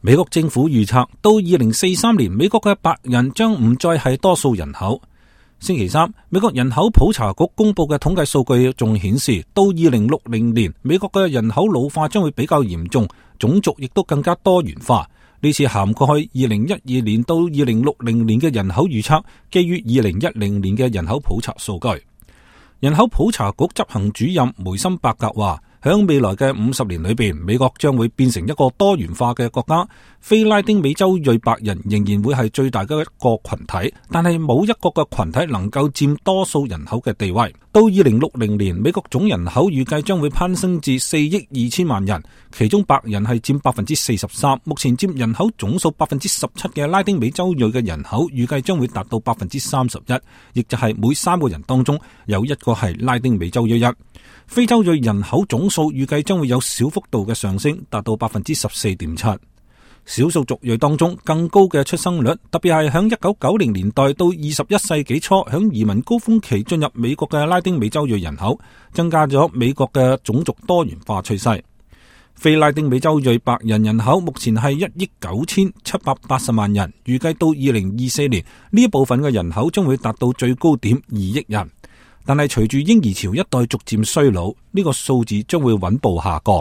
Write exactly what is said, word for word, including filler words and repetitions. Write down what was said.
美國政府預測到二零四三年，美國嘅白人將唔再係多數人口。星期三，美國人口普查局公布嘅統計數據仲顯示，到二零六零年，美國嘅人口老化將會比較嚴重，種族亦都更加多元化。呢次涵蓋二零一二年到二零六零年嘅人口預測，基於二零一零年嘅人口普查數據。人口普查局執行主任梅森伯格話，響未來嘅五十年裏邊，美國將會變成一個多元化嘅國家。非拉丁美洲裔白人仍然會係最大嘅一個群體，但係冇一個嘅群體能夠佔多數人口嘅地位。到二零六零年，美國總人口預計將會攀升至四億二千萬人，其中白人係佔百分之四十三。目前佔人口總數百分之十七嘅拉丁美洲裔嘅人口預計將會達到百分之三十一，亦就係每三個人當中有一個係拉丁美洲裔人。非洲裔人口總數預計將會有小幅度嘅上升，達到百分之十四點七。少數族裔當中更高嘅出生率，特別係響一九九零年代到二十一世紀初響移民高峰期進入美國嘅拉丁美洲裔人口，增加咗美國嘅種族多元化趨勢。非拉丁美洲裔白人人口目前係一億九千七百八十萬人，預計到二零二四年呢一部分嘅人口將會達到最高點二億人。但係隨住嬰兒潮一代逐漸衰老，呢個數字將會穩步下降。